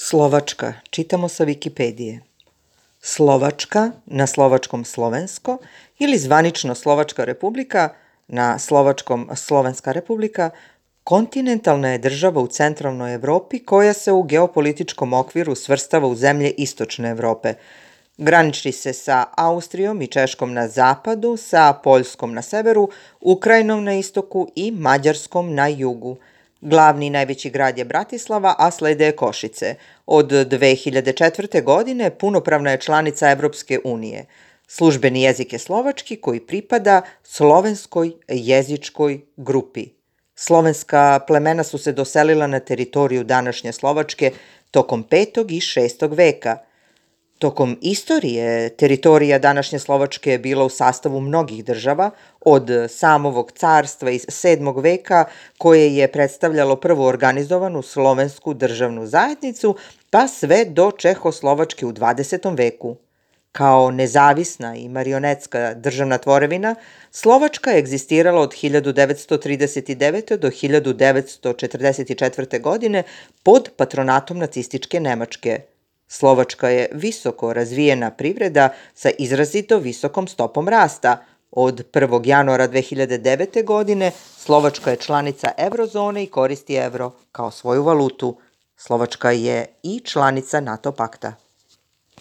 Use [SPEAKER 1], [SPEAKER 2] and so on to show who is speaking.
[SPEAKER 1] Slovačka, čitamo sa Wikipedije. Slovačka, na slovačkom slovensko, ili zvanično Slovačka republika, na slovačkom Slovenska republika, kontinentalna je država u centralnoj Evropi koja se u geopolitičkom okviru svrstava u zemlje istočne Evrope. Graniči se sa Austrijom i Češkom na zapadu, sa Poljskom na severu, Ukrajinom na istoku i Mađarskom na jugu. Glavni i najveći grad je Bratislava, a slede je Košice. Od 2004. godine punopravna je članica Evropske unije. Službeni jezik je slovački koji pripada slovenskoj jezičkoj grupi. Slovenska plemena su se doselila na teritoriju današnje Slovačke tokom 5. i 6. veka. Tokom istorije teritorija današnje Slovačke je bila u sastavu mnogih država, od samovog carstva iz 7. veka koje je predstavljalo prvu organizovanu slovensku državnu zajednicu, pa sve do Čehoslovačke u 20. veku. Kao nezavisna i marionetska državna tvorevina, Slovačka je egzistirala od 1939. do 1944. godine pod patronatom nacističke Nemačke. Slovačka je visoko razvijena privreda sa izrazito visokom stopom rasta. Od 1. januara 2009. godine Slovačka je članica eurozone i koristi evro kao svoju valutu. Slovačka je i članica NATO pakta.